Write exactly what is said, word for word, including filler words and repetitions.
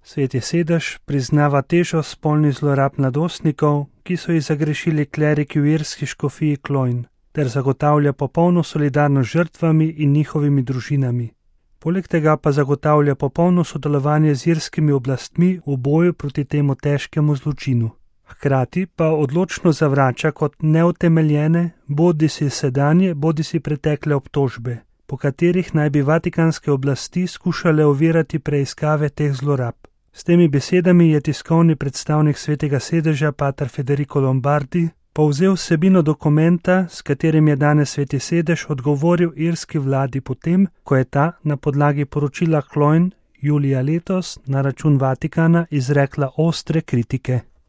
Sveti sedež priznava težo spolnih zlorab mladostnikov, ki so jih zagrešili kleriki v irski škofiji Cloyne, ter zagotavlja popolno solidarnost z žrtvami in njihovimi družinami. Poleg tega pa zagotavlja popolno sodelovanje z irskimi oblastmi v boju proti temu težkemu zločinu. Hkrati pa odločno zavrača kot neutemeljene bodisi sedanje, bodisi pretekle obtožbe, po katerih naj bi vatikanske oblasti skušale ovirati preiskave teh zlorab. S temi besedami je tiskovni predstavnik Svetega sedeža pater Federico Lombardi povzel vsebino dokumenta, s katerim je danes Sveti sedež odgovoril irski vladi potem, ko je ta na podlagi poročila Cloyne julija letos na račun Vatikana izrekla ostre kritike.